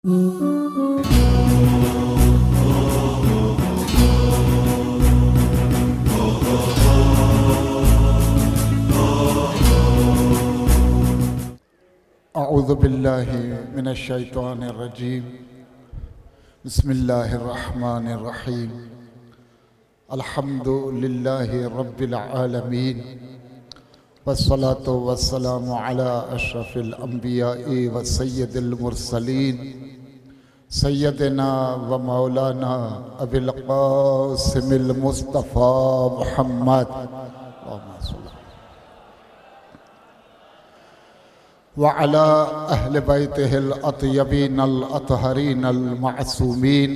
أعوذ بالله من الشيطان الرجيم. بسم الله الرحمن الرحيم. الحمد لله رب العالمين، والصلاة والسلام على أشرف الأنبياء وسيد المرسلين، سيدنا ومولانا أبي القاسم المصطفى محمد، اللهم صل وعلى أهل بيته الأطيبين الأطهرين المعصومين.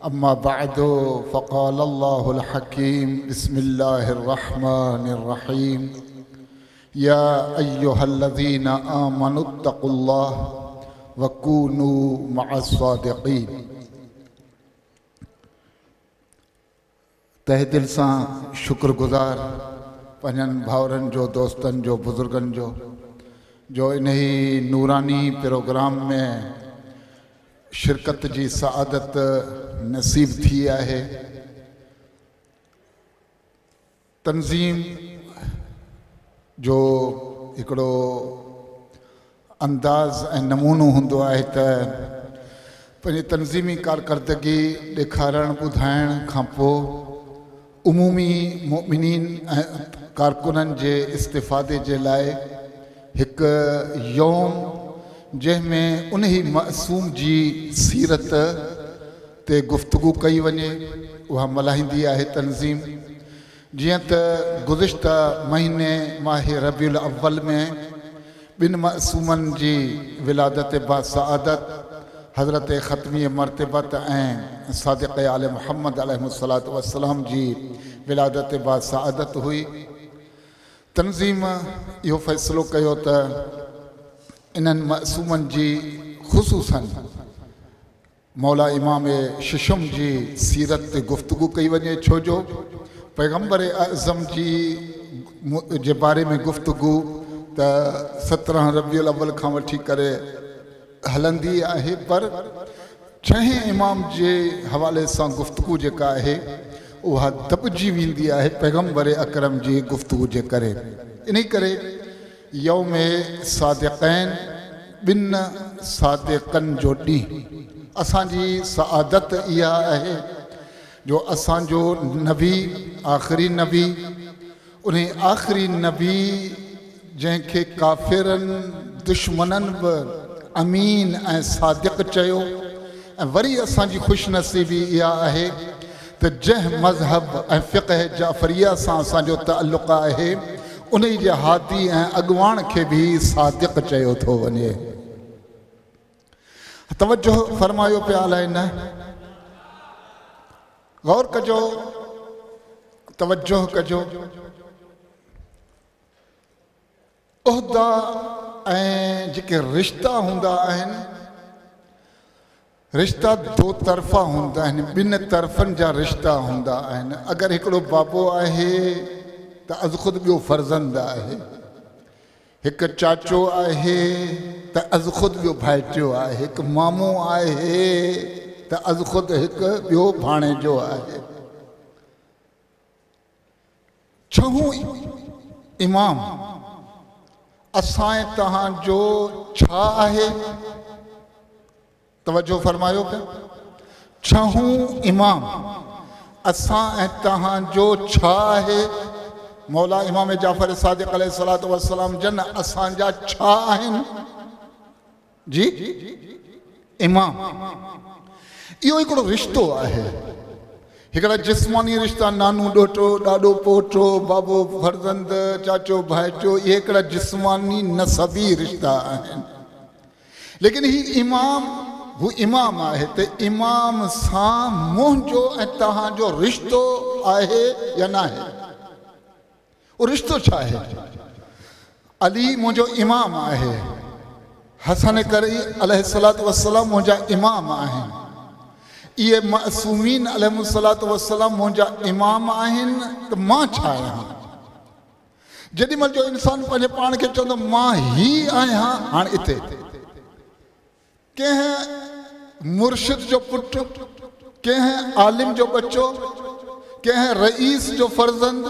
أما بعد، فقال الله الحكيم: بسم الله الرحمن الرحيم. يا أيها الذين آمنوا اتقوا الله وكونوا مع الصادقين. तहे दिल सां शुक्रगुज़ार पंहिंजनि भाउरनि जो, दोस्तनि जो, बुज़ुर्गनि जो, जो इन नूरानी प्रोग्राम में शिरकत जी सआदत नसीब थी आहे। तंज़ीम जो हिकिड़ो अंदाज़ ऐं नमूनो हूंदो आहे त पंहिंजी तंज़ीमी कारकर्दगी ॾेखारण ॿुधाइण खां पोइ उमूमी मुमिनीन ऐं कारकुननि जे इस्तिफ़ादे जे लाइ हिकु यौम जंहिंमें उन ई मासूम जी सीरत ते गुफ्तगू कई वञे, उहा मल्हाईंदी आहे तंज़ीम। जीअं त गुज़िश्ता महीने माह रबीउल अव्वल में ॿिनि मासूमनि जी विलादत बासआदत हज़रत ख़तमी मरतबत ऐं सादिक़ आल मुहम्मद अलैहिस्सलातु वस्सलाम जी विलादत बासआदत हुई। तंज़ीम इहो फ़ैसिलो कयो त इन्हनि मासूमनि जी ख़ुसूसन मौला इमाम शशम जी सीरत ते गुफ्तगू कई वञे, छो जो पैगम्बर आज़म जी जे बारे में गुफ्तगू त 17 रबीउल अव्वल खां वठी करे हलंदी आहे, पर छहें इमाम जे हवाले सां गुफ्तगू जेका आहे उहा दबिजी वेंदी आहे पैगम्बर अकरम जी गुफ्तगू जे करे। इन करे यौम सादिक़ैन ॿिनि सादिक़नि जो ॾींहुं, असांजी सआदत इहा आहे जो असांजो नबी आख़िरी नबी, उन आख़िरी नबी जंहिंखे काफ़िरनि दुश्मननि बि अमीन ऐं सादिक़ चयो, ऐं वरी असांजी ख़ुशनसीबी इहा आहे त जंहिं मज़हब ऐं फ़िक़्ह जाफ़रिया सां असांजो तालुक़ आहे उन जे हादी ऐं अॻवान खे बि सादिक़ चयो थो वञे। तवजो फरमायो पिया अलाए न, गौर कजो, तवजो कजो। उहदा ऐं जेके रिश्ता हूंदा आहिनि, रिश्ता दो तरफ़ा हूंदा आहिनि, ॿिनि तरफ़नि जा रिश्ता हूंदा आहिनि। अगरि हिकिड़ो बाबो आहे त अज़ ख़ुदि ॿियो फर्ज़ंद आहे, हिकु चाचो आहे त अज़ ख़ुदि ॿियो भाइटियो आहे, हिकु मामो आहे त अज़ ख़ुदि हिकु ॿियो भाणेजो आहे। छहों इमाम असां तव्हांजो छा आहे? तवजो फरमायो पिया। छहों इमाम असां ऐं तव्हांजो छा आहे? मौला इमाम जाफ़र सादिक़ अलैहिस्सलातु वस्सलाम जन असांजा छा आहिनि? जी इमाम। इहो हिकिड़ो रिश्तो आहे, हिकिड़ा जिस्मानी रिश्ता, नानू ॾोटो, ॾाॾो पोटो, बाबो फर्ज़ंद, चाचो भाइटो, इहे हिकिड़ा जिस्मानी नसबी रिश्ता आहिनि। लेकिन ही इमाम, हू इमाम आहे त इमाम सां मुंहिंजो ऐं तव्हांजो रिश्तो आहे या न आहे? उहो रिश्तो छा आहे? अली मुंहिंजो इमाम आहे, हसन करी अलैहिस्सलातु वस्सलाम मुंहिंजा इमाम आहिनि, इहे मासूमीन अलैहिस्सलातु वस्सलाम मुंहिंजा इमाम आहिनि, त मां छा आहियां? जेॾी महिल जो इंसान पंहिंजे पाण खे चवंदो मां ही आहियां, हाणे हिते कंहिं مرشد جو پٽ، ڪنهن عالم جو ٻچو، ڪنهن رئيس جو فرزند،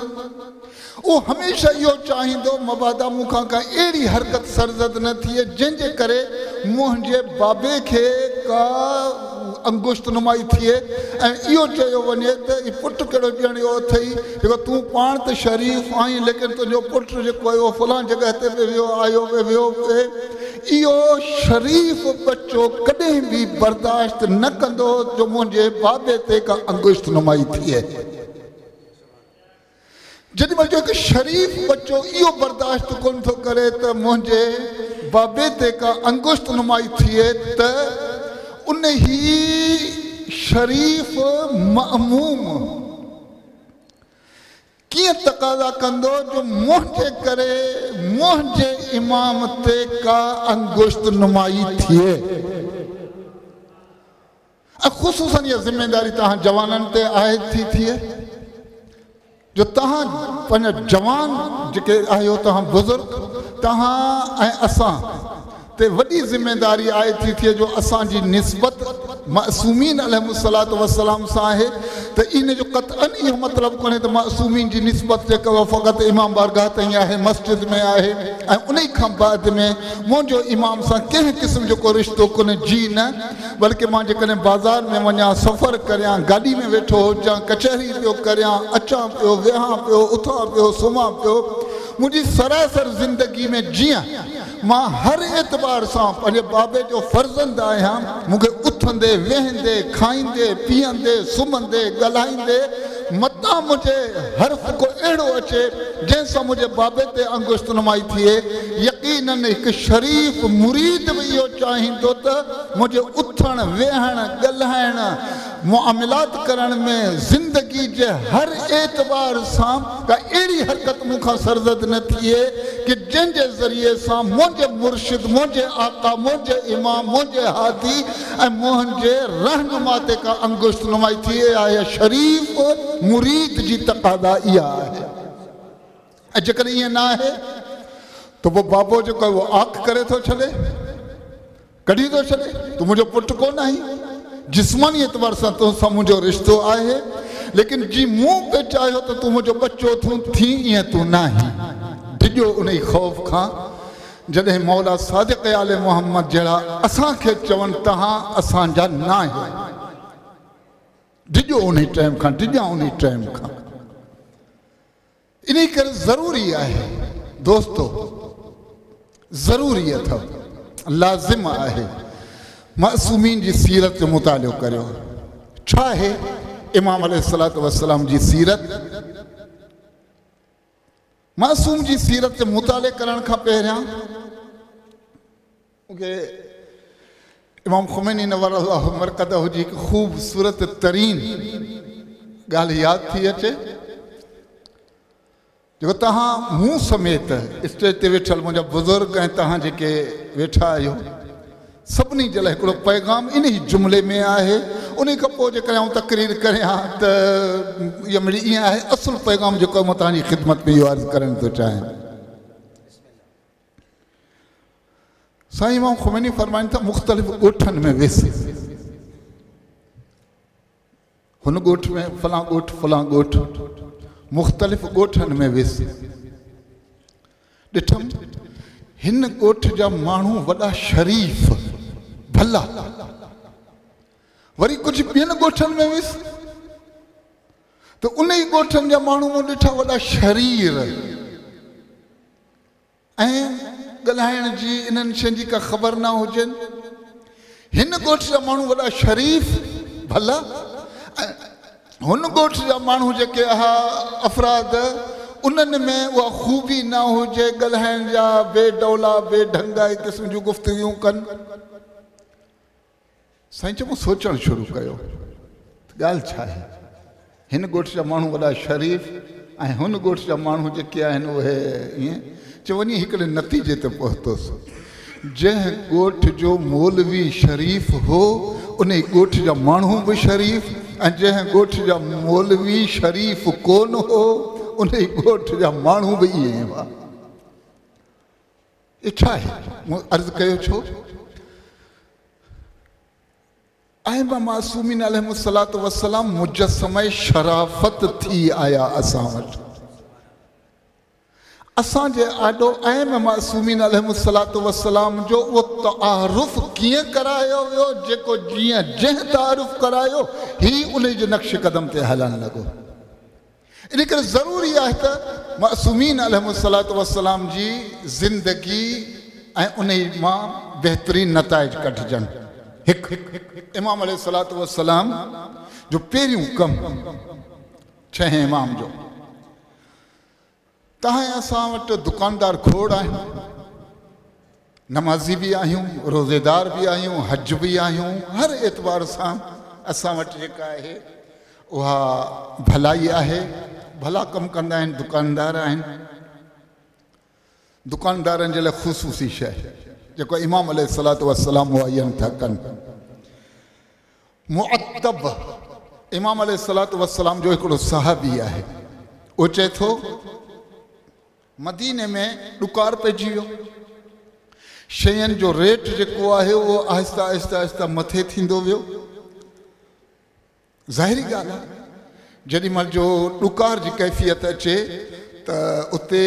اهو هميشه اهو چاهيندو مبادا مون کان ڪا اهڙي حرڪت سرزد نه ٿئي جنهن جي ڪري منهنجي بابي کي ڪا انگشت نمائي ٿئي ۽ اهو چيو وڃي ته هي پٽ ڪهڙو ڄڻيو اٿئي جيڪو تون پاڻ ته شريف آهين ليڪن تنهنجو پٽ جيڪو آهي اهو فلان جڳهه تي به ويو آيو به ويو پئي. اهو شريف ٻچو ڪڏهن به برداشت نه ڪندو جو منهنجي بابي تي ڪا انگشت نمائي ٿئي. جيڏي مهل جو هڪ شريف ٻچو اهو برداشت ڪونه ٿو ڪري ته منهنجي بابي تي ڪا انگشت نمائي ٿئي ته انهي شريف مأموم ڪيئن تقاضا ڪندو جو منهنجي ڪري منهنجي امام تي ڪا انگشت نمائي ٿئي؟ ۽ خصوصاً اها ذميداري توهان جوانن تي عائد ٿي ٿئي جو توهان پنهنجا جوان جيڪي آهيو، توهان بزرگ، توهان ۽ اسان تي وڏي ذميداري عائد ٿي ٿئي جو اسان جي نسبت معصومين عليهم الصلوة والسلام سان آهي ته ان جو قطعاً اهو مطلب ڪونهي ته معصومين جي نسبت جيڪا اها فقط امام بارگاهه تائين آهي، مسجد ۾ آهي ۽ انهي کان بعد ۾ منهنجو امام سان ڪنهن قسم جو ڪو رشتو ڪونهي، جي نه بلڪه مان جيڪڏهن بازار ۾ وڃان، سفر ڪريان، گاڏي ۾ ويٺو هجان، ڪچهري پيو ڪريان، اچان پيو، ويهان پيو، اٿان پيو، سمهان پيو، منهنجي سراسر زندگي ۾ جيئن مان هر اعتبار سان پنهنجي بابي جو فرزند آهيان، مون کي اٿندي، ويهندي، کائيندي، پيئندي، سمهندي، ڳالهائيندي متان منهنجي حرف ڪو اهڙو اچي جنهن سان منهنجي بابي تي انگشت نمائي ٿئي. يقيناً هڪ شريف مريد به اهو چاهيندو ته منهنجي اٿڻ، ويهڻ، ڳالهائڻ، معاملات ڪرڻ ۾ زندگي جي هر اعتبار سان ڪا اهڙي حرڪت مون کان سرزد نه ٿئي ڪه جنهن جي ذريعي سان منهنجي مرشد، منهنجي آقا، منهنجي امام، منهنجي هادي ۽ منهنجي رهنما تي ڪا انگشت نمائي ٿئي. اها شريف مريد جي تقاضا اها آهي ۽ جيڪڏهن ائين نه آهي ته پوء بابو جيڪو آهي اهو عاق ڪري ٿو ڇڏي. ڪڍي ٿو ڇڏي، تون منهنجو پٽ ڪونه آهين، جسماني اعتبار سان تو سان منهنجو رشتو آهي، ليڪن جي مون پئي چاهيو ته تون منهنجو ٻچو ٿون ٿين ائين تون ناهين. ڊڄو انهي خوف کان جڏهن مولا صادق آل محمد جهڙا اسان کي چون توهان اسان جا ناهيو. ڊڄو انهي ٽائيم کان، ڊڄان انهي ٽائيم کان. انهي ڪري ضروري آهي دوستو ضروري اٿو لازم آهي معصومين جي سيرت جو مطالعو ڪريو. ڇا آهي امام عليه الصلوة والسلام جي سيرت؟ معصوم جي سيرت جي مطالعي ڪرڻ کان پهريان مون کي امام خميني نور الله مرقده جي هڪ خوبصورت ترين ڳالهه ياد ٿي اچي جيڪو توهان مون سميت اسٽيج تي ويٺل منهنجا بزرگ ۽ توهان جيڪي ويٺا آهيو سڀني جي لاء هڪڙو پيغام انهي جملي ۾ آهي. انهي کان پوء جيڪڏهن آئون تقرير ڪريان ته اها مڙئي ائين آهي. اصل پيغام جيڪو آهي مان توهان جي خدمت ۾ اهو عرض ڪرڻ ٿو چاهيان. سائين امام خميني فرمائن ٿا مختلف ڳوٺن ۾ ويس، هن ڳوٺ ۾ فلان ڳوٺ فلان ڳوٺ، مختلف ڳوٺن ۾ ويس، ڏٺم هن ڳوٺ جا ماڻهو وڏا شريف ڀلا، وري ڪجهه ٻين ڳوٺن ۾ ويس ته انهي ڳوٺن جا ماڻهو مون ڏٺا وڏا شرير ۽ ڳالهائڻ جي انهن شين جي ڪا خبر نه هجين. هن ڳوٺ جا ماڻهو وڏا شريف ڀلا ۽ هن ڳوٺ جا ماڻهو جيڪي اها افراد انهن ۾ اها خوبي نه هجي ڳالهائڻ جا بي ڊولا بي ڍنگائي قسم جون گفتگيون ڪن. سائين چئو مون سوچڻ شروع ڪيو ته ڳالهه ڇا آهي؟ هن ڳوٺ جا ماڻهو وڏا شريف ۽ هن ڳوٺ جا ماڻهو جيڪي آهن اهي ائين چئو وڃي هڪڙي نتيجي تي پهتس. جنهن ڳوٺ جو مولوي شريف هو انهي ڳوٺ جا ماڻهو به شريف ۽ جنهن ڳوٺ جا مولوي شريف ڪونه هو انهي ڳوٺ جا ماڻهو به ائين ئي هئا. اهو ڇا آهي؟ مون عرض ڪيو ڇو؟ अइमा मासूमीन अलैहिमुस्सलातु वस्सलाम मुजस्समे शराफत थी आया असां वटि। असांजे आॾो अइमा मासूमीन अलैहिमुस्सलातु वस्सलाम जो उहो तारुफ़ कीअं करायो वियो, जेको जीअं जंहिं तारुफ़ करायो ही उन जे नक्श कदम ते हलणु लॻो। इन करे ज़रूरी आहे त मासूमीन अलैहिमुस्सलातु वस्सलाम जी ज़िंदगी ऐं उन मां बहितरीन नताइज कढिजनि। हिकु इमाम अलैहिस्सलातु वस्सलाम जो पहिरियों कमु छहें इमाम जो, तव्हां असां वटि दुकानदार खोड़ आहिनि, नमाज़ी बि आहियूं, रोज़ेदार बि आहियूं, हज बि आहियूं, हर एतबार सां असां वटि जेका आहे उहा भलाई आहे, भला कमु कंदा आहिनि, दुकानदार आहिनि। दुकानदारनि जे लाइ ख़ुसूसी शइ जेको इमाम अलैहिस्सलातु वस्सलाम मुअय्यन था कनि। मुअत्तब इमाम अलैहिस्सलातु वस्सलाम जो हिकिड़ो सहाबी आहे, उहो चए थो मदीने में ॾुकार पइजी वियो, शयुनि जो रेट जेको आहे उहो आहिस्ता आहिस्ता आहिस्ता मथे थींदो वियो। ज़ाहिरी ॻाल्हि आहे, जेॾी महिल जो ॾुकार जी कैफ़ियत अचे त उते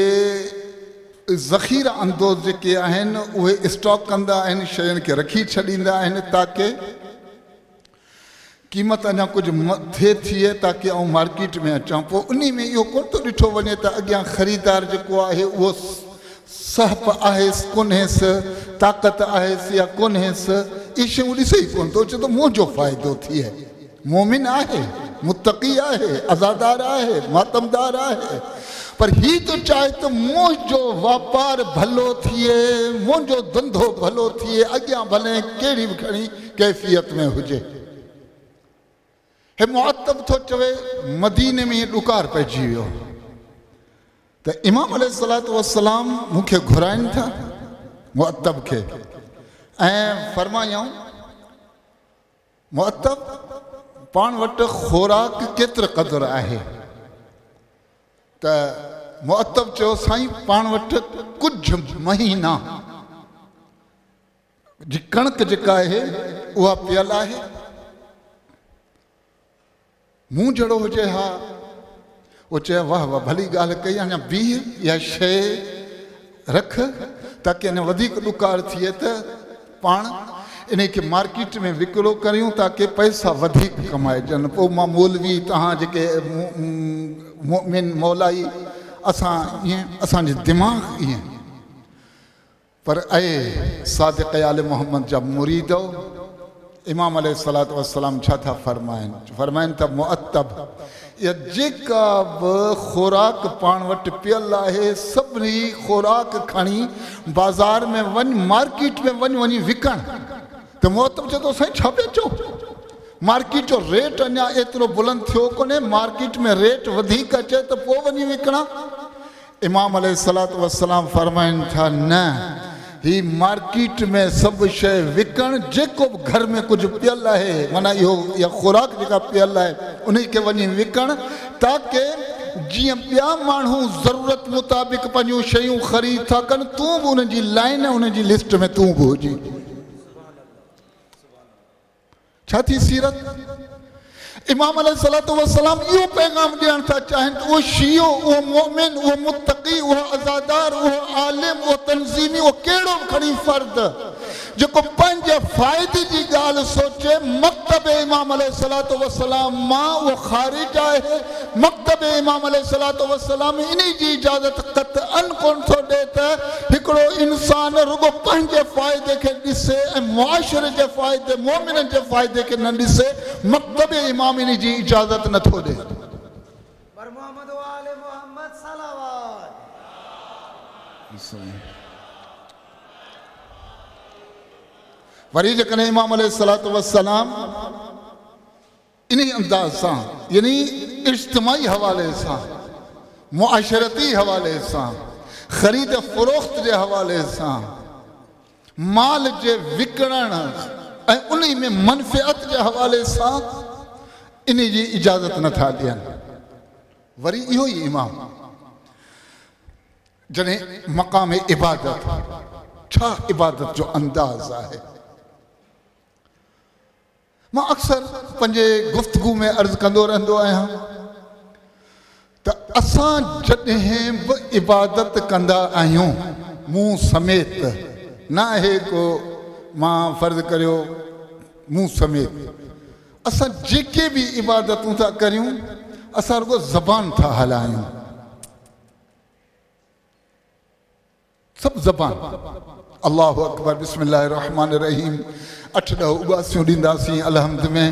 ज़ख़ीरा अंदोज़ जेके आहिनि उहे स्टॉक कंदा आहिनि, शयुनि खे रखी छॾींदा आहिनि ताकि क़ीमत अञा कुझु मथे थिए, ताकि आउं मार्केट में अचां। पोइ उन में इहो कोन थो ॾिठो वञे त अॻियां ख़रीदार जेको आहे उहो सहप आहेसि कोन्हेसि, ताक़त आहेसि या कोन्हेसि, इहे शयूं ॾिसे ई कोन थो, चए थो मुंहिंजो फ़ाइदो थिए। मोमिन आहे, मुत्तकी आहे, अज़ादार आहे, मातमदार आहे, पर ही तो चाहे त मुंहिंजो वापार भलो थिए, मुंहिंजो धंधो भलो थिए, अॻियां भले कहिड़ी बि खणी कैफ़ियत में हुजे। हे मुअत्तब थो चवे मदीने में ॾुकार पइजी वियो त इमाम अलैहिस्सलातु वस्सलाम मूंखे घुराइनि था मुअत्तब खे ऐं फरमायऊं, मुअत्तब पाण वटि ख़ुराक केतिरो क़दुरु आहे? त मुअत्तब चयो साईं पाण वटि कुझु महीना जी कणिक जेका आहे उहा पियल आहे, मूं जहिड़ो हुजे हा। उहो चयो वाह वाह भली ॻाल्हि कई, अञा बीह इहा शइ रख ताकि अञा वधीक ॾुकार थिए त पाण इन खे मार्केट में विकिरो करियूं ताकि पैसा वधीक कमाइजनि। पोइ मां मौलवी तव्हां जेके मोमिन मौलाई असां ईअं असांजो दिमाग़ ईअं, पर ऐ सादिक़ आल मोहम्मद जा मुरीदो, इमाम अलैहिस्सलातु वस्सलाम छा था फरमाइनि? फरमाइनि था मुअत्तब इहा जेका बि ख़ुराक पाण वटि पियल आहे सभिनी ख़ुराक खणी बाज़ार में वञ, मार्केट में वञ, वञी विकण। त मुअत्तब चए थो साईं छा पिया चओ, मार्केट जो रेट अञा एतिरो बुलंद थियो कोन्हे, मार्केट में रेट वधीक अचे त पोइ वञी विकिणा। इमाम अलैहिस्सलातु वस्सलाम फरमाइनि था न, ही मार्केट में सभु शइ विकण, जेको बि घर में कुझु पियल आहे, माना इहो इहा ख़ुराक जेका पियल आहे उन खे वञी विकण, ताकि जीअं ॿिया माण्हू ज़रूरत मुताबिक़ पंहिंजूं शयूं ख़रीद था कनि, तूं बि उनजी लाइन उनजी लिस्ट में तूं बि हुजी। छा थी सीरत? इमाम अलैहिस्सलातु वस्सलाम इहो पैगाम ॾियणु था चाहिनि त उहो शियो, उहो मोमिन, उहो मुत्तकी, उहो अज़ादार, उहो आलिम, उहो तंज़ीमी, उहो कहिड़ो बि खणी फ़र्द जेको पंहिंजे फ़ाइदे जी ॻाल्हि सोचे, मकतब इमाम अलैहिस्सलातु वस्सलाम मां उहो ख़ारिज आहे। मकतब इमाम अलैहिस्सलातु वस्सलाम इन जी इजाज़त क़तअन कोन थो ॾिए त हिकिड़ो इंसान रुगो पंहिंजे फ़ाइदे खे ॾिसे ऐं मुआशरे जे फ़ाइदे, मोमिननि जे फ़ाइदे खे न ॾिसे। मकतब इमाम इन जी इजाज़त नथो ॾिए। वरी जेकॾहिं इमाम अलैहिस्सलातु वस्सलाम इन अंदाज़ सां, यानी इज्तिमाई हवाले सां, मुआशरती हवाले सां, ख़रीद फ़रोख़्त जे हवाले सां, माल जे विकिणण ऐं उन में मनफ़ियत जे हवाले सां इन जी इजाज़त नथा ॾियनि। वरी इहो ई इमाम जॾहिं मक़ाम इबादत, छा इबादत जो अंदाज़ आहे? مان اڪثر پنهنجي گفتگو ۾ عرض ڪندو رهندو آهيان ته اسان جڏهن به عبادت ڪندا آهيون، مون سميت، نه آهي ڪو مان فرض ڪريو مون سميت، اسان جيڪي به عبادتون ٿا ڪريون اسان رڳو زبان ٿا هلايون. سڀ زبان الله اڪبر بسم الله الرحمٰن الرحيم اٺ ڏهه اٻاسيون ڏينداسين الحمد ۾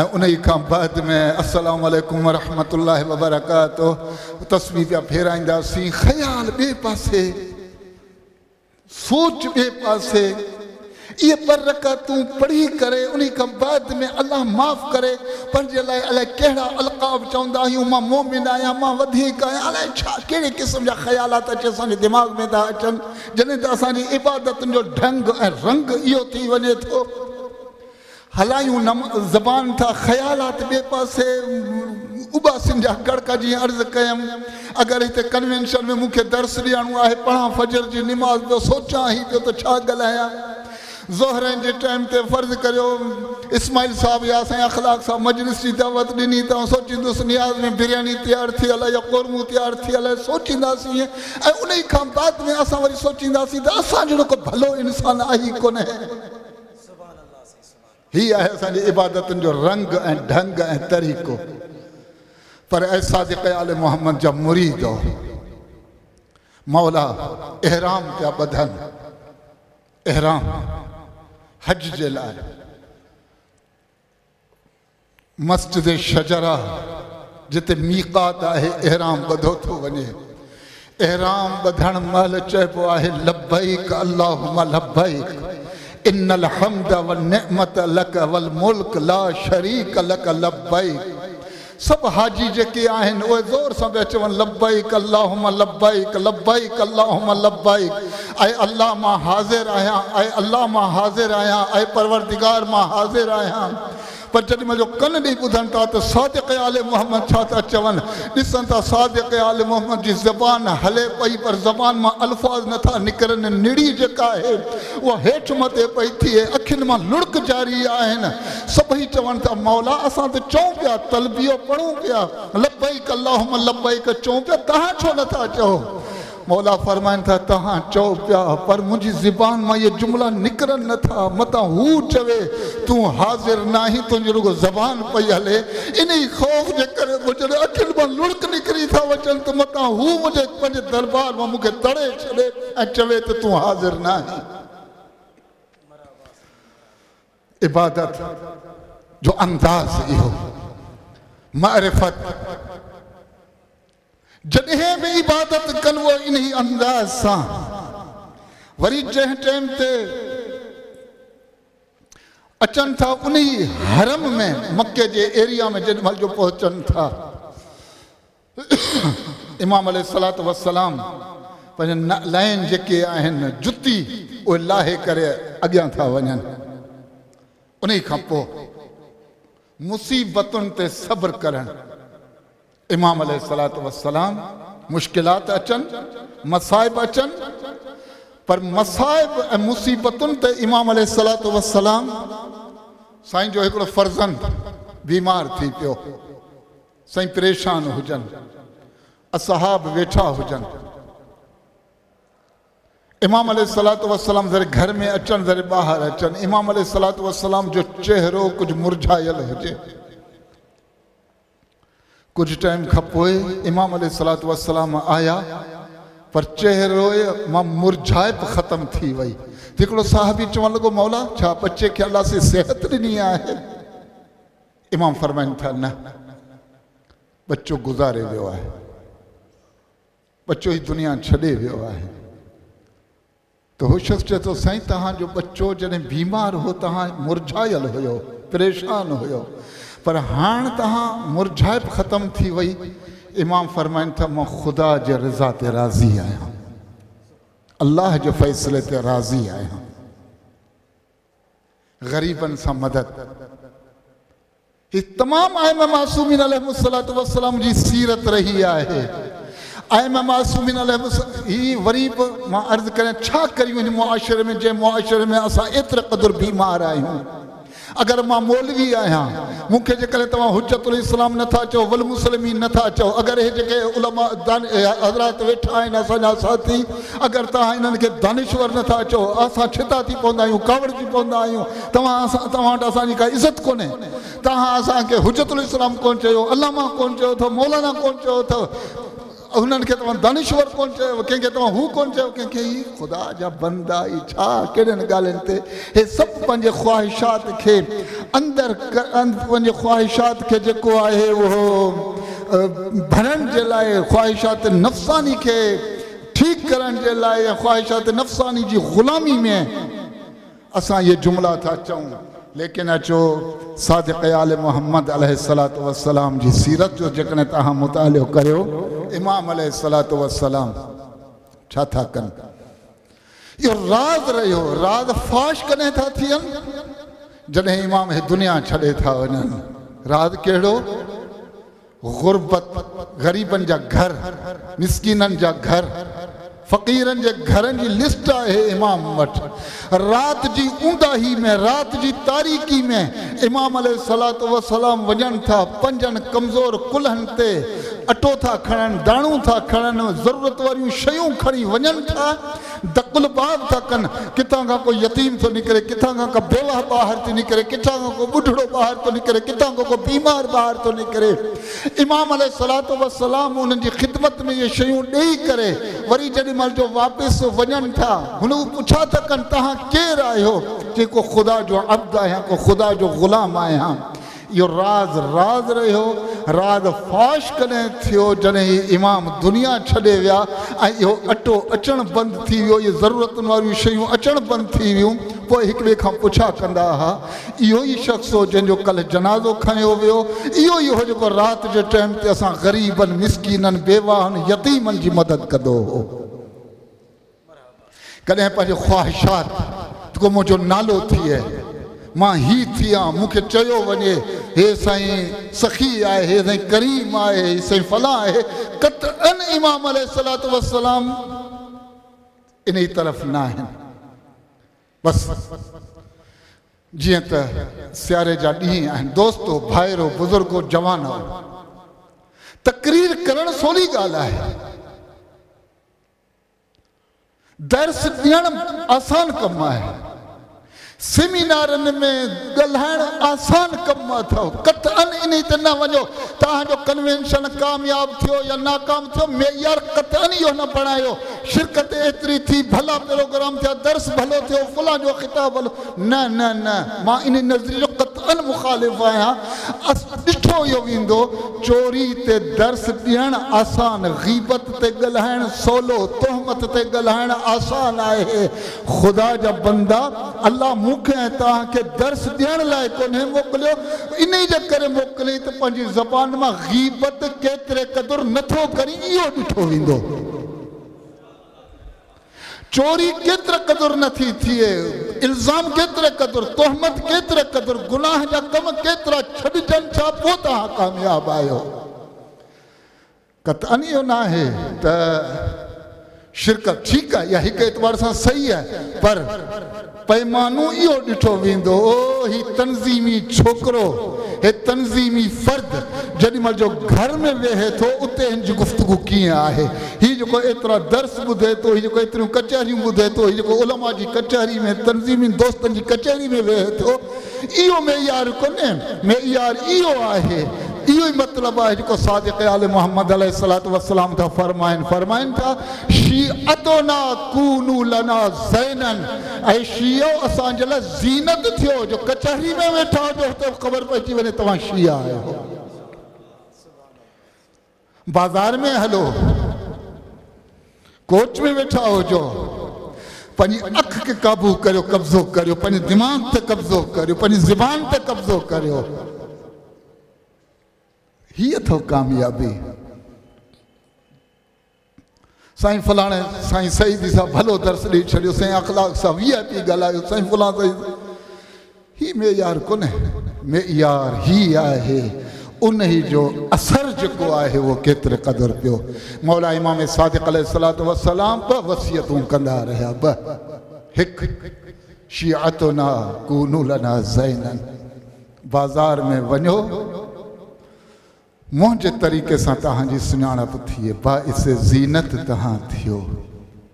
۽ انهي کان بعد ۾ السلام عليڪم ورحمة الله وبرڪاته تسبيح پيا ڦيرائينداسين خيال ٻئي پاسي سوچ ٻئي پاسي اهي ٻه رڪعتون پڙهي ڪري انهي کان بعد ۾ الله معاف ڪري پنهنجي لاء الائي ڪهڙا القاب چوندا آهيون مان مؤمن آهيان مان وڌيڪ آهيان الائي ڇا ڪهڙي قسم جا خيالات اچي اسان جي دماغ ۾ ٿا اچن جڏهن ته اسان جي عبادتن جو ڍنگ ۽ رنگ اهو ٿي وڃي ٿو. هلايون زبان ٿا خيالات ٻئي پاسي اٻاسين جا ڪڙڪا جيئن عرض ڪيم اگر هتي ڪنوينشن ۾ مون کي درس ڏيڻو آهي پڙهان فجر جي نماز پيو سوچان ئي پيو ته ڇا ڳالهايان ظهرين جي ٽائيم تي فرض ڪريو اسماعيل صاحب يا سائين اخلاق صاحب مجلس جي دعوت ڏني ته آئون سوچيندس نياز ۾ برياني تيار ٿيل آهي يا قورمو تيار ٿيل آهي سوچينداسين ۽ انهي کان بعد ۾ اسان وري سوچينداسين ته اسان جهڙو ڪو ڀلو انسان آهي ئي ڪونهي. هي آهي اسان جي عبادتن جو رنگ ۽ ڍنگ ۽ طريقو. پر اي صادق آل محمد جا مريدو! مولا احرام پيا ٻڌن، احرام حج جي لاء. مسجد شجره جتي ميقات آهي احرام ٻڌو ٿو وڃي. احرام ٻڌڻ مهل چئبو آهي لبيڪ اللهم لبيڪ ان الحمد والنعمت لڪ والملڪ لا شريڪ لڪ لبيڪ سڀ حاجي جيڪي آهن اهي زور سان پيا چون لبيڪ اللهم لبيڪ لبيڪ اللهم لبيڪ اي الله مان حاضر آهيان اي الله مان حاضر آهيان اي پروردگار مان حاضر آهيان پر جيڏي مهل جو ڪن ڏئي ٻڌن ٿا ته صادق آل محمد ڇا ٿا چون، ڏسن ٿا صادق آل محمد جي زبان هلي پئي پر زبان مان الفاظ نه ٿا نڪرن، نڙي جيڪا آهي اها هيٺ مٿي پئي ٿئي، اکين مان لڙڪ جاري آهن، سڀئي چون ٿا مولا اسان ته چئون پيا، تلبيو پڙهون پيا، لبيڪ اللهم لبيڪ چئون پيا، توهان ڇو نه ٿا چئو؟ مولا فرمائن ٿا، توهان چئو پيا، پر منهنجي زبان مان اهي جملا نڪرن نه ٿا، متان هو چوي، تون حاضر ناهين، تنهنجي رڳو زبان پئي هلي. انهي خوف جي ڪري منهنجي اکين مان لڙڪ نڪري ٿا وچن ته متان هو منهنجي پنهنجي دربار مان مون کي تڙي ڇڏي ۽ چوي ته تون حاضر ناهين. عبادت جو انداز اهو، معرفت. جڏهن به عبادت ڪن اهو انهي انداز سان وري جنهن ٽيم تي اچن ٿا انهي حرم ۾ مڪي جي ايريا ۾ جيڏي مهل جو پهچن ٿا امام عليه الصلوة والسلام پنهنجي نعلين جيڪي آهن جتي اهي لاهي ڪري اڳيان ٿا وڃن انهي کان پوء مصيبتن تي صبر ڪرڻ امام عليه الصلوة والسلام مشڪلات اچن، مصائب اچن پر مصائب ۽ مصيبتن تي امام عليه الصلوة والسلام سائين جو هڪڙو فرزند بيمار ٿي پيو، سائين پريشان هجن، اصحاب ويٺا هجن، امام عليه الصلوة والسلام ذري گهر ۾ اچن ذري ٻاهر اچن، امام عليه الصلوة والسلام جو چهرو ڪجهه مرجهايل هجي. ڪجهه ٽائيم کان پوء امام عليه الصلوة والسلام آيا پر چهري مان مرجهائپ ختم ٿي وئي ته هڪڙو صحابي چوڻ لڳو مولا ڇا ٻچي کي الله سائين صحت ڏني آهي؟ امام فرمائن ٿا نه ٻچو گذاري ويو آهي ٻچو هي دنيا ڇڏي ويو آهي. ته هو شخص چئي ٿو، سائين توهان جو ٻچو جڏهن بيمار هو توهان مرجهايل هيو، پريشان هيو، پر هاڻ توهان مرجهائپ ختم ٿي وئي. امام فرمائن ٿا، مان خدا جي رضا تي راضي آهيان، الله جي فيصلي تي راضي آهيان. غريبن سان مدد هي تمام ائمه معصومين عليهم الصلوة والسلام جي سيرت رهي آهي. ائمه معصومين عليهم الصلوة هي وري به مان عرض ڪريان ڇا ڪريون هن معاشري ۾ جنهن معاشري ۾ اسان ايتري قدر بيمار آهيون. اگر مان مولوي آهيان، مون کي جيڪڏهن توهان حجت الاسلام نٿا چئو، والمسلمين نٿا چئو، اگر اهي جيڪي علماء حضرات ويٺا آهن اسان جا ساٿي، اگر توهان انهن کي دانشور نٿا چئو، اسان ڇتا ٿي پوندا آهيون، ڪاوڙجي پوندا آهيون، توهان توهان وٽ اسان جي ڪا عزت ڪونهي. توهان اسان کي حجت الاسلام ڪونه چيو، علامه ڪونه چيو اٿو، مولانا ڪونه چيو اٿو، هنن کي توهان دانشور ڪونه چيو، ڪنهن کي توهان هو ڪونه چيو، ڪنهن کي هي. خدا جا بندا، هي ڇا ڪهڙين ڳالهين تي هي سڀ پنهنجي خواهشات کي اندر پنهنجي خواهشات کي جيڪو آهي اهو ڀرڻ جي لاء، خواهشات نفساني کي ٺيڪ ڪرڻ جي لاء يا خواهشات نفساني جي غلامي ۾ اسان اهي جملا ٿا چئون. ليڪن اچو صادق آل محمد عليه الصلوة والسلام جي سيرت جو جيڪڏهن توهان مطالعو ڪريو، امام عليه الصلوة والسلام ڇا ٿا ڪن؟ اهو راز رهيو. راز فاش ڪڏهن ٿا ٿين؟ جڏهن امام هي دنيا ڇڏي ٿا وڃن. راز ڪهڙو؟ غربت، غريبن جا گهر، مسڪينن جا گهر، فقيرن جي گهرن جي لسٽ آهي امام وٽ. رات جي اونداهي ۾، رات جي تاريڪي ۾ امام عليه الصلوة والسلام وڃن ٿا، پنهنجن ڪمزور ڪلهن تي اٽو ٿا کڻن، داڻو ٿا کڻن، ضرورت واريون شيون کڻي وڃن ٿا، دق الباب ٿا ڪن، ڪٿان کان ڪو يتيم ٿو نڪري، ڪٿان کان ڪا بيواهه ٻاهر ٿي نڪري، ڪٿان کان ڪو ٻڍڙو ٻاهر ٿو نڪري، ڪٿان کان ڪو بيمار ٻاهر ٿو نڪري. امام عليه الصلوة والسلام انهن جي خدمت ۾ اهي شيون ڏيئي ڪري وري جيڏي مهل جو واپس وڃن ٿا، هن هو پڇا ٿا ڪن، توهان ڪير آهيو؟ چي ڪو خدا جو عبد آهيان، ڪو خدا جو غلام آهيان. اهو راز راز رهيو. راز فاش ڪڏهن ٿيو؟ جڏهن هي امام دنيا ڇڏي ويا ۽ اهو اٽو اچڻ بند ٿي ويو، اهي ضرورتن واريون شيون اچڻ بند ٿي ويون، پوء هڪ ٻئي کان پڇا ڪندا ها. اهو ئي شخص هو جنهن جو ڪلهه جنازو کنيو ويو، اهو ئي هو جيڪو رات جي ٽائيم تي اسان غريبن، مسڪينن، بيواهن، يتيمن جي مدد ڪندو هو. ڪڏهن پنهنجي خواهشات ته ڪو منهنجو نالو ٿئي، مان هي ٿيان، مون کي چيو وڃي هي سائين سخي آهي، هي سائين ڪريم آهي، هي سائين فلان آهي، قطعاً امام عليه الصلوة والسلام انهي طرف ناهن. بس جيئن ته سياري جا ڏينهن آهن، دوستو، ڀائرو، بزرگو، جوانو، تقرير ڪرڻ سولي ڳالهه آهي، درس ڏيڻ آسان ڪم آهي، سيمينارن ۾ ڳالهائڻ آسان ڪم اٿو، قطعاً انهي تي نه وڃو. توهان جو ڪنوينشن ڪامياب ٿيو يا ناڪام ٿيو، معيار قطعاً اهو نه بڻايو، شرڪت ايتري ٿي، ڀلا پروگرام ٿيا، درس ڀلو ٿيو، فلان جو خطاب ڀلو، نه نه نه، مان انهي نظريي جو قطعاً مخالف آهيان. ڏٺو اهو ويندو، چوري تي درس ڏيڻ آسان، غيبت تي ڳالهائڻ سولو، تهمت تي ڳالهائڻ آسان آهي. خدا جا بندا، الله مون کي ۽ توهان کي درس ڏيڻ لاء ڪونهي موڪليو، انهي جي ڪري موڪليائين ته پنهنجي زبان مان غيبت ڪيتري قدر نٿو ڪرين اهو ڏٺو ويندو. چوري ڪيتري قدر نٿي ٿئي، الزام ڪيتري قدر، تهمت ڪيتري قدر، گناهه جا ڪم ڪيترا ڇڏجن ڇا پوء توهان ڪامياب آهيو. قطعاً اهو ناهي ته شرڪت ٺيڪ آهي يا هڪ اعتبار سان صحيح آهي، پر پيمانو اهو ڏٺو ويندو هي تنظيمي ڇوڪرو، هي تنظيمي فرد جيڏي مهل جو گهر ۾ ويهي ٿو اتي هن جي گفتگو ڪيئن آهي، هي جيڪو ايترا درس ٻڌي ٿو، هي جيڪو ايتريون ڪچهريون ٻڌي ٿو، هي جيڪو علماء جي ڪچهري ۾ تنظيمي دوستن جي ڪچهري ۾ ويهي ٿو، اهو معيار ڪونهي، معيار اهو آهي، اهو ئي مطلب آهي جيڪو صادق آل محمد عليه الصلوة والسلام ٿا فرمائن، فرمائن ٿا، شيعتنا ڪونوا لنا زينا، اي شيعو اسان جي لاء زينت ٿيو، جو ڪچهري ۾ ويٺا هجو اتي به خبر پئجي وڃي توهان شيعا آهيو. بازار ۾ هلو، ڪوچ ۾ ويٺا هجو، پنهنجي اک کي قابو ڪريو، قبضو ڪريو، پنهنجي دماغ تي قبضو ڪريو، پنهنجي زبان تي قبضو ڪريو. هي اٿو ڪاميابي. سائين فلاڻي سائين سعيدي صاحب ڀلو درس ڏئي ڇڏيو، سائين اخلاق سان وي آء پي ڳالهايو، سائين فلان سائين، هي معيار ڪونهي. معيار هي آهي، انهي جو اثر جيڪو آهي اهو ڪيتري قدر پيو. مولا امام صادق عليه الصلوة والسلام ٻه وصيتون ڪندا رهيا، ٻه، هڪ، شيعتنا ڪونوا لنا زينا. बाज़ार में वञो, मुंहिंजे तरीक़े सां तव्हांजी सुञाणप थिए, बाइस ज़ीनत तव्हां थियो,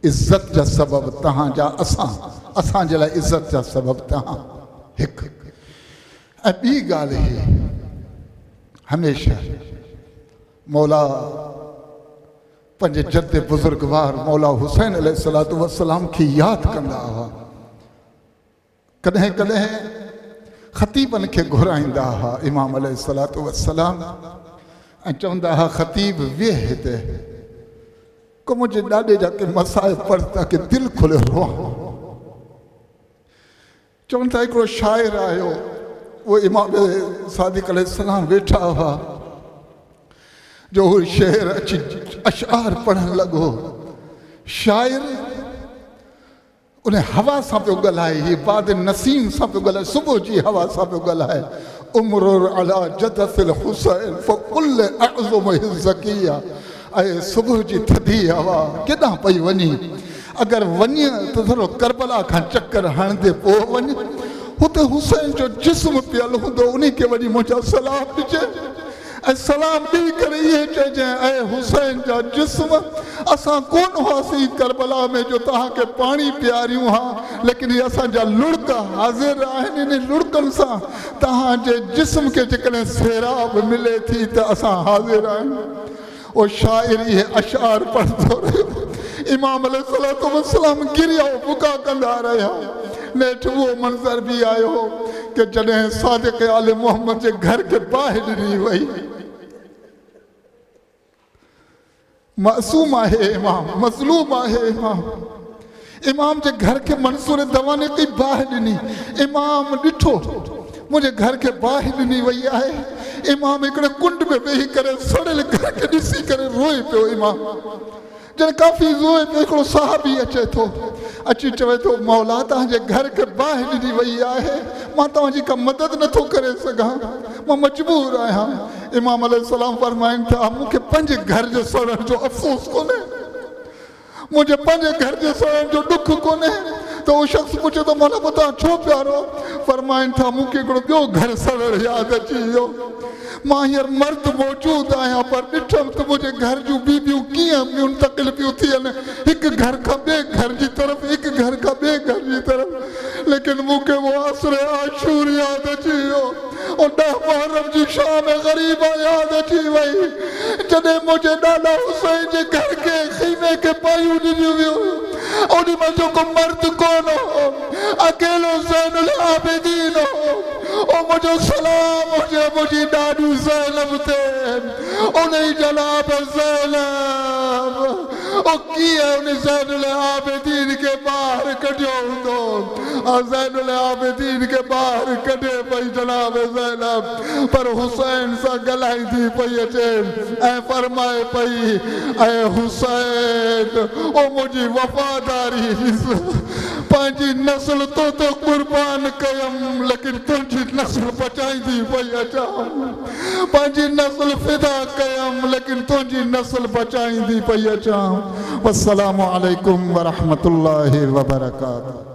इज़त जा सबब तव्हांजा असां, असांजे लाइ इज़त जा सबब तव्हां। हिकु ऐं ॿी ॻाल्हि ही हमेशह मौला पंहिंजे जद बुज़ुर्गवार मौला हुसैन अलैहिस्सलातु वस्सलाम खे यादि कंदा हुआ। कॾहिं कॾहिं ख़तीबनि खे घुराईंदा हुआ इमाम अलैहिस्सलातु वस्सलाम ऐं चवंदा हुआ ख़तीब वेह हिते, को मुंहिंजे ॾाॾे जा के मसाइब पढ़ ताकी दिलि खुले रोआं। चवनि था हिकिड़ो शाइर आयो, उहो इमाम सादिक अलैहिस्सलाम वेठा हुआ, जो हू शेर अची अशआर पढ़णु लॻो। शाइर उन हवा सां पियो ॻाल्हाए, हीअ बाद नसीम सां पियो ॻाल्हाए, सुबुह जी हवा सां पियो ॻाल्हाए। उम्रुर अला जदसिल हुसैन फकुल अज़म ज़किया, ऐं सुबुह जी थधी हवा केॾां पई वञी, अगरि वञ त थोरो करबला खां चक्कर हणंदे पोइ वञ, हुते हुसैन जो जिस्म पियल हूंदो उन खे वञी मुंहिंजा सलाम ॾिजे, ऐं सलाम ॾेई करे इहे चइजांइ ऐं हुसैन जा जिस्म, असां कोन हुआसीं करबला में जो तव्हांखे पाणी पीआरियूं हा, लेकिन इहे असांजा लुड़क हाज़िर आहिनि, इन लुड़कनि सां तव्हांजे जिस्म खे जेकॾहिं सैराब मिले थी त असां हाज़िर आहियूं। उहो शाइर इहे अशार पढ़ंदो रहियो, इमाम अलैहिस्सलातु वस्सलाम गिरिया बुका कंदा रहिया। नेठि उहो मंज़र बि आयो कि जॾहिं सादिक आल मोहम्मद जे घर खे बाहि ॾिनी वई। मासूम आहे इमाम, मज़लूम आहे इमाम, इमाम जे घर खे मंसूर दवाने की बाहि ॾिनी। इमाम ॾिठो मुंहिंजे घर खे बाहि ॾिनी वई आहे, इमाम हिकिड़े कुंड में वेही करे सड़ियल घर खे ॾिसी करे रोए पियो। इमाम जॾहिं काफ़ी रोए पियो, हिकिड़ो साहबी अचे थो, अची चवे थो मौला तव्हांजे घर खे बाहि ॾिनी वई आहे, मां तव्हांजी का मदद नथो करे सघां, मां मजबूर आहियां। इमाम अलैहिस्सलाम फरमाइनि था मूंखे पंहिंजे घर जे सड़ण जो अफ़सोस कोन्हे, मुंहिंजे पंहिंजे घर जे सड़ण जो ॾुख कोन्हे। त उहो शख़्स पुछे थो मौला पोइ तव्हां छो पिया रो? फरमाइनि था मूंखे हिकिड़ो ॿियो घर सड़ण यादि अची वियो, मां हींअर मर्द मौजूदु आहियां पर ॾिठमि त मुंहिंजे घर जूं बीबियूं कीअं मुंतकिल पियूं थियनि, हिकु घर खां ॿिए घर जी तरफ़, हिकु घर खां ॿिए घर जी तरफ़। लेकिन मूंखे उहो असर आशूर यादि अची वियो, 10 मुहर्रम जी शाम ग़रीब यादि अची वई, जॾहिं मुंहिंजे ॾाॾा हुसैन जे घर खे ख़ीमे खे पायूं ॾिनियूं वियूं, ओॾी महिल जेको मर्द कोन हो, अकेलो ज़ैनुल आबिदीन हो। ओ मुंहिंजो सलाम हुजे मुंहिंजी ॾाॾी ज़ैनब ते, उन ई जनाब ज़ैनब ओ कीअं उन ज़ैनुल आबिदीन खे ॿाहिरि कढियो हूंदो, ज़ैनुल आबिदीन खे ॿाहिरि कढे पई जनाब ज़ैनब, पर हुसैन सां ॻाल्हाईंदी पई अचे ऐं फरमाए पई ऐं हुसैन ओ मुंहिंजी वफ़ादारी, पंहिंजी नस्ल तो ते कुर्बान कयमि, लेकिन तुंहिंजी नस्ल बचाईंदी पई अचां, पंहिंजी नस्ल फिदा कयमि, लेकिन तुंहिंजी नस्ल बचाईंदी पई अचां। वस्सलामु अलैकुम वरहमतुल्लाहि वबरकातुहू।